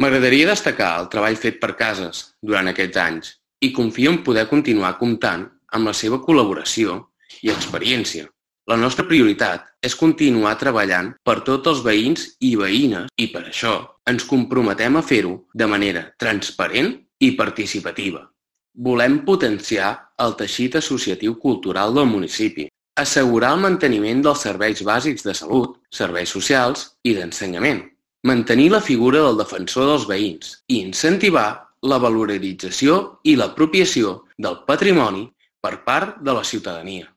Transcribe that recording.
M'agradaria destacar el treball fet per Cases durant aquests anys i confio en poder continuar comptant amb la seva col·laboració i experiència. La nostra prioritat és continuar treballant per tots els veïns i veïnes i per això ens comprometem a fer-ho de manera transparent i participativa. Volem potenciar el teixit associatiu cultural del municipi, assegurar el manteniment dels serveis bàsics de salut, serveis socials i d'ensenyament, mantenir la figura del defensor dels veïns i incentivar la valorització i l'apropiació del patrimoni per part de la ciutadania.